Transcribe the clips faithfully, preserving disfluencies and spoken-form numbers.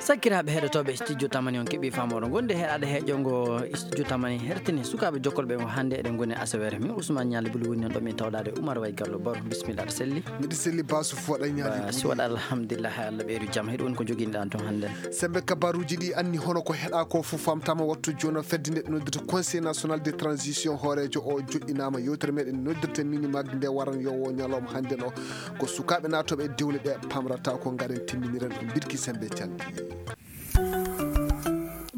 Sakiraaɓe heɗotooɓe studio Tamani, on keɓii faamoro ngonde heɗaade heƴo ngo studio Tamani hertini sukaaɓe jokkolɓe mo hannde. Eɗen ngoni asaweere. Min Ousmane Ñaali Buli woni noon ɗo min tawɗaade Oumar Way Gallo Baro. Bisimilla, aɗa selli? Miɗo selli, Basu Foɗa Ñaali Buli. Basu Foɗa, alhamdulillah, Allah ɓeydu jam. Hiɗo woni ko joginɗaa toon hannde? Sembe kabaaruuji ɗi anni hono ko heɗaa ko fof famtaama wattu jooni o fedde nde noddirta Conseil National de Transition hooreejo o joɗɗinaama. Yewtere meɗen noddirta mini mag nde waran yo wo ñalawma hannde o. Ko sukaaɓe naatooɓe e dewle ɗe pamrata ko ngaren timminiren ko mbirki sembe calɗi.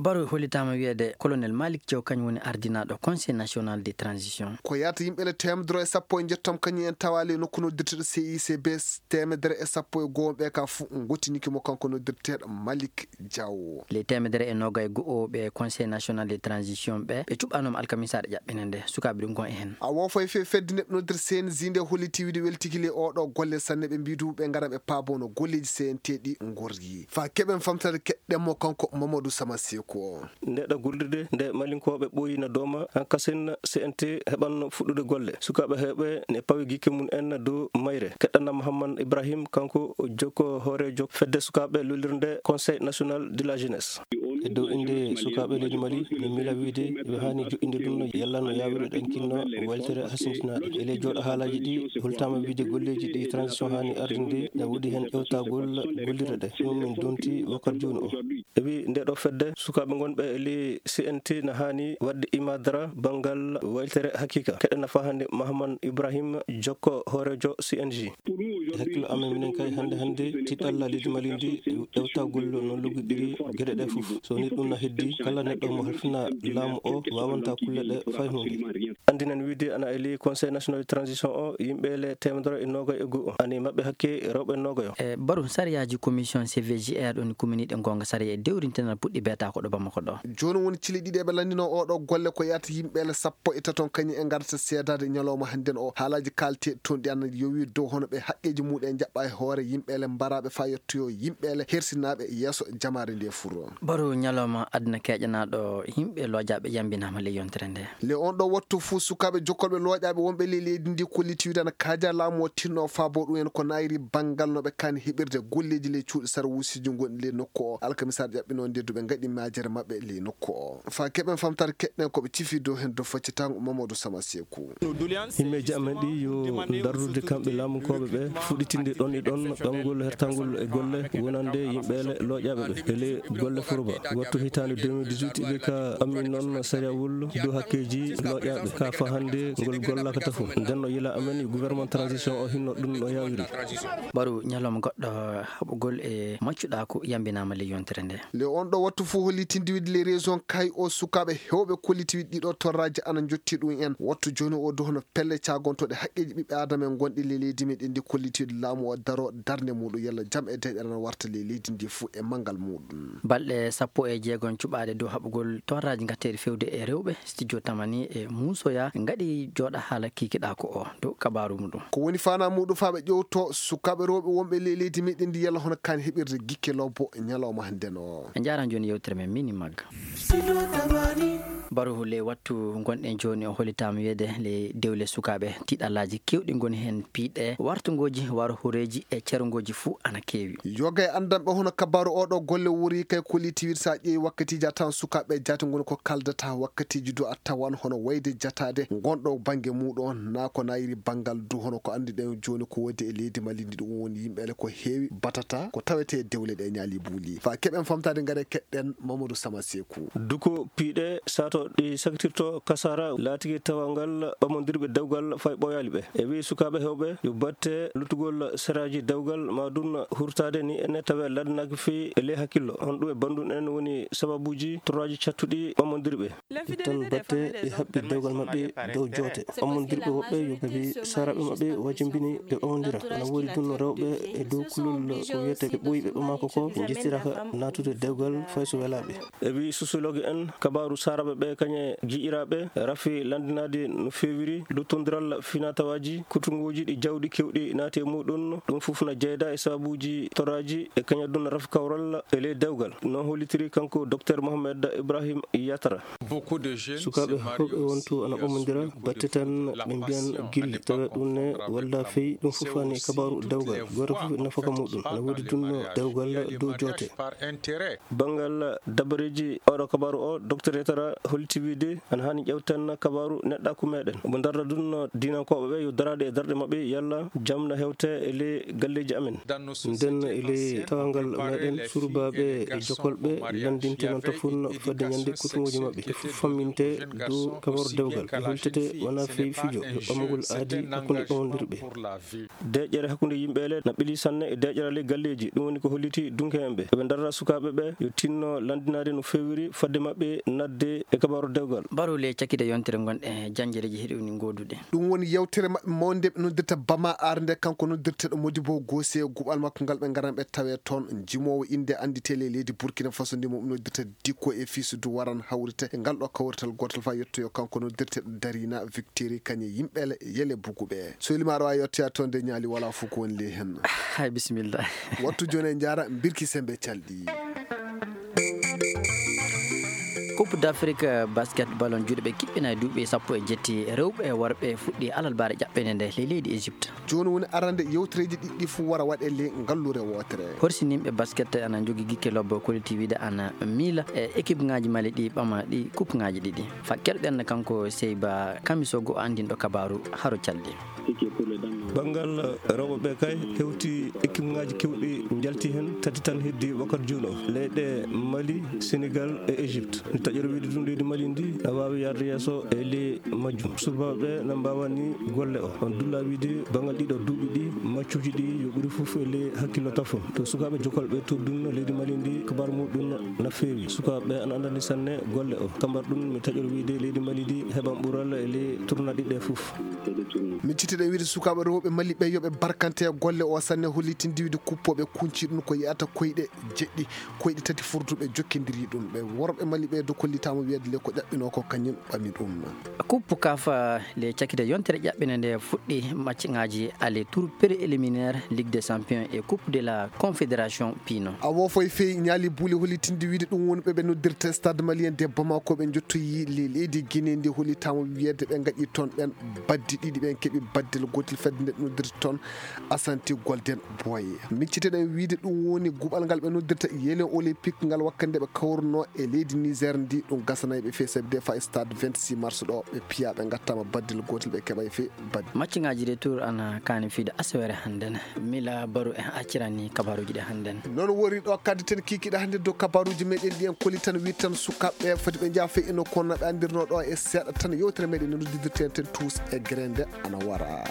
Baro hollitaama wiyeede Colonel Malick Thiaw kañum woni ardinaaɗo Conseil National de Transition. Ko yahata yimɓe le teemedere e sappo e njettam kañum en tawaali e nokku noddirteɗo C I C B, teemedere e sappo e goo ɓe ka fof ngottiniki mo kanko noddirteeɗo Malick Diaw. Le teemedere e noogay e go'o ɓe Conseil National de Transition ɓe, ɓe cuɓaanooma alkamisaare ƴaɓɓinde nde, sukaaɓe ɗum kon e heen. A wofay fe fedde nde noddir C N J nde holliti wiide weltiki le oɗo golle sanne ɓe mbiidu ɓe ngara ɓe paabono golleeji C N T ɗi ngorri. Fa keɓen famtade keɗɗen mo kanko Mamadou Sama Seko. Ndeɗo gollirde nde Malinkooɓe ɓooyi na dooma, hankasin C N T heɓan fuɗɗude golle. Sukaaɓe heɓe ne pawi gikke mum en dow mayre. Keɗɗana Mouhammad Ibrahim, kanko o jokko hooreejo fedde sukaaɓe lollirnde Conseil National de la Jeunesse. E dow innde sukaaɓe leydi Mali, min miila wiide yo haani joɗɗinde ɗum no yalla no yaawiri ɗen kinno weltere hasindinaaɗe. E ley jooɗo haalaaji ɗi, holtaama wiide golleeji ɗi transition haani ardinde, na woodi heen ƴewtagol gollirɗe ɗe. Ɗum min donti wakkati jooni o. E wi nde ɗo fedde, sukaaɓe ngonɓe e ley C N T na haani waɗde imadara banngal weltere hakiika. Keɗe nafa hannde Mahaman Ibrahim Jokko, hooreejo C N J. E hakkillo amen minen kay hannde hannde tiɗalla leydi Mali ndi ƴewtagol no luggiɗiri geɗe ɗe fof. So ni ɗum na heddi, kala neɗɗo mo halfina laamu o waawanta kulle ɗe fay huunde. Anndinen wiide ana e ley Conseil National de Transition o, yimɓe le teemedere e noogay e go'o. Ani maɓɓe hakke rewɓe noogayo. E baru sariyaaji commission C V G R ɗon kuminiiɗe goonga sariya e dewrintenal puɗɗi beeta ko ɗo Bamako ɗo. Jooni woni cili ɗiɗi eɓe lanndino oɗo golle ko yahata yimɓe le sappo e taton kañum e ngarata seedaade ñalawma hannden o. Haalaaji kaalteeɗi toon ɗi ana yowi dow hono ɓe haqqeeji muɗum en jaɓɓa e hoore yimɓe le mbaraaɓe faa yettoyo yimɓe le hersinaaɓe yeeso jamaare nde furo. Baru ñalawma aduna keeƴanaaɗo yimɓe loojaaɓe yambinaama ley yontere nde. Le on ɗo wattu fuu sukaaɓe jokkolɓe looƴaaɓe wonɓe ley leydi ndi kolliti wiide ana kaaja laamu o tinno faabo ɗum en ko naayri banngal no ɓe kaani heɓirde golleeji ley cuuɗi sarwuusiji ngonɗi ley nokku o. Alkamisaare ƴaɓɓinoo nde duɓe ngaɗi maajere maɓɓe ley nokku o. Faa keɓen famtare keɗɗen ko ɓe cifi dow heen dow faccitango Mamadou Sama Seeku. Himmeeji amen ɗi yo dardude kamɓe laamunkooɓe ɓe fuɗɗitinde ɗon e ɗon ɓamgol hertangol e golle wonande yimɓe le looƴaaɓe ɓe e ley golle foroba. Wattu hitaande deux mille dix-huit ɓe ka ammin noon sariyawol dow hakkeeji looƴaaɓe ka fahande ngol gollaka tafo. Nden no yila amen yo gouvernement transition o hinno ɗum no yawiri. Baru ñalawma goɗɗo haɓugol e maccuɗaaku yambinaama ley yontere nde. Le on ɗo wattu fof hollitinde wiide les raisons kay o sukaaɓe heewɓe kolliti wiide ɗiɗo torraaji ana njotti ɗum en. Wattu jooni o dow hono pelle caagontooɗe haqqeeji ɓiɓɓe aadama en gonɗi ley leydi meɗen ndi kolliti wiide laamu o daro darnde muɗum yalla jam e deeƴere ana warta ley leydi ndi fof e manngal muɗum. Balɗe sappo e jeegom cuɓaaɗe dow haɓugol torraaji ngatteeri fewde e rewɓe, studio Tamani e Muusoya ngaɗi jooɗa haala kikiɗaaku o dow kabaaru muɗum. Ko woni faanaa muɗum faa ɓe ƴewto sukaaɓe rewɓe wonɓe ley leydi meɗen ndi yalla hono kaani heɓirde gikke lobbo ñalawma hannden o. En njaaraama jooni yewtere men mini magga. Baru ley wattu ngonɗen jooni o hollitaama wiyeede ley dewle sukaaɓe tiiɗallaaji keewɗi ngoni heen piiɗe wartungooji waro horeeji e cerungooji fuu ana keewi. Yoga e anndanɓe hono kabaaru oɗo golle wuri kay kolliti wiide so a ƴeewi wakkatiiji a tawan sukaaɓe jaati ngoni ko kaldata wakkatiiji du a tawan hono wayde jataade ngonɗo bannge muɗum on naa ko nayiri banngal du hono ko annduɗen jooni ko woodi e leydi Mali ndi ɗum woni yimɓe le ko heewi batata ko tawetee dewle ɗe ñaali buuli. Faa keɓen famtaade ngare keɗɗen Mamadou Sama Seeku. Duko piiɗe sato ɗi sakitirto kasaara laatigi tawangal ɓamondirɓe dewgal fay ɓooyaali ɓe. E wi sukaaɓe heewɓe yo batte luttugol seraaji dewgal ma dun hurtaade ni ene tawe ladanaaki fii e ley hakkillo. On ɗum e banndun en woni sababuuji torraaji cattuɗi ɓamondirɓe. Ittan batte e haɓɓi dewgal maɓɓe dow joote. Ɓamondirɓe woɓɓe yo kabi saaraaɓe maɓɓe wajimbini ɓe ɓamondira. Ana woodi dun rewɓe e dow kulol ko wiyete ɓe ɓooyi ɓe ɓamako ko ɓe njettiraka naatude dewgal fay so welaaɓe. E wi sociologue en, kabaaru saaraaɓe ɓe kañe ji'iraaɓe rafi lanndinaade no feewiri luttondiral finatawaaji kutunguuji ɗi jawɗi keewɗi naati e muɗum. Ɗum fof na jeyda e sabuuji toraaji e kañadun rafi kawral e ley dewgal, no hollitiri kanko Docteur Mohamed Ibrahim Yatara. Sukaaɓe heewɓe wontu ana ɓamondira batte tan, ɓe mbiyan gilli tawa ɗum ne walla fey ɗum fof ani e kabaaru dewgal. Gooto fof e nafaka muɗum ana woodi ɗum no dewgal dow joote. Banngal dabareeji oɗo kabaaru o, Docteur Yatara holliti wiide ana haani ƴeewten kabaaru neɗɗaaku meɗen. Omo darda ɗum no diinankooɓe ɓe yo daraade e darɗe maɓɓe yalla jam na hewte e ley galleeji amen. Nden e ley tawangal meɗen, surubaaɓe e jokolɓe lanndinte noon tafun fodde ñande kutunguuji maɓɓe. Ɓe fof famminte dow kabaaru dewgal. Ɓe hultete wonaa fey fijo, yo ɓamgol aadi hakkunde ɓamondirɓe. Deeƴere hakkunde yimɓe ele na ɓili sanne e deeƴere ley galleeji. Ɗum woni ko holliti dunke en ɓe. Eɓe darra sukaaɓe ɓe yo tinno lanndinaade no feewiri fodde maɓɓe nadde e kabaaru dewgal. Barule cakkite yontere ngonɗe janjereeji heɗi woni gooduɗe. Ɗum woni yewtere maɓɓe mawnde ɓe noddirta Bama Arde, kanko noddirteeɗo Modibo Gose, guɓal makko ngal ɓe ngaran ɓe tawe toon. Jimoowo innde annditee ley leydi Burkina Faso ndi mo noddirta Dikko e Fisudu waran hawrite e ngal ɗo kawrital gootal faa yettoyo kanko noddirteeɗo Darina Victory kañe yimɓe le-, yele buguɓe. So weli maaro a yettoya toon de ñaali wala fof ko woni ley hen. Hay bisimilla. Wattu jooni e njaara mbirki sembe calɗi. Coupe d'Afrique basket ballon juuɗe ɓe kiɓɓina e duuɓi sappo e jetti rewɓe e worɓe fuɗɗi alarbaare ƴaɓɓende nde ley leydi Égypte. Jooni woni arande yewtereeji ɗiɗi ɗi fof wara waɗe ley ngallure wootere. Horsinimɓe basket ana njogi gikke lobbo koliti wiide ana miila e équipe ŋaaji Mali ɗi ɓama ɗi coupe ŋaaji ɗiɗi. Fa keɗoɗen kanko Seyba Kamisogo anndinɗo kabaaru haro calɗi. Banngal rewɓe ɓe kay hewti équipe ŋaaji kewɗi njalti heen tati tan heddi wakkati jooni o. Leyɗe Mali, Sénégal e Égypte. Taƴere wiide ɗum leydi Mali ndi na waawi yarde yeeso e ley majjum. Sukaaɓe na mbaawani golle o. On dulla wiide banngal ɗiɗo duuɓi ɗi maccuuji ɗi yo ɓuri fof e ley hakkillo tafon. To sukaaɓe jokolɓe to ɗum leydi Mali ndi kabar muɗum na feewi. Sukaaɓe ana anndani sanne golle o. Kambar ɗum mi taƴor wiide leydi Mali ndi heɓan ɓural e ley tournoi ɗiɗi ɗe fof. Miccitiɗen wiide sukaaɓe rewɓe Mali ɓe yo ɓe barkante e golle o sanne hollitinde wiide kuppooɓe kunci ɗum ko yiyata koyɗe jeɗɗi, koyɗe tati furduɓe jokkindiri ɗum. Ɓe worɓe Mali ɓe do kollitaama wiyeede le ko ƴaɓɓinoo ko kañum ɓami ɗum. Coupe kafa le cakkite yontere ƴaɓɓinde nde fuɗɗi match ŋaaji aller tour préliminaire Ligue des Champions e Coupe de la Confédération piino. A woofo e feewi ñaali buuli hollitinde wiide ɗum woni ɓe ɓe noddirta Stade Malien de Bamako ɓe njottoyi le-, leydi Guinée ndi hollitaama wiyeede ɓe ngaɗi toon ɓen baddi ɗiɗi ɓen keɓi baddel gootel fedde nde ɓe noddirta toon Asante Golden Boy. Micciteɗen wiide ɗum woni guɓal ngal ɓe noddirta Yelen Olympique ngal wakkati nde ɓe kawruno e leydi Niger ndi ɗum gasanay ɓe feewi sabi de fa e stade vingt-six mars ɗo ɓe piya ɓe ngattama baddel gootel ɓe keɓay fe baddi. Match ŋaaji retour ana kaani fiide asawere hannden. Mila Baru en accirani kabaruuji ɗi hannden. Noon wori ɗo kaddi ten kiikiɗe hannde dow kabaruuji meɗen ɗi en koli tan wi tan sukaaɓe foti ɓe njaha fey ino kono no ɓe anndirno ɗo e seeɗa tan yewtere meɗen no noddidirten ten tuus e gere nde ana wara.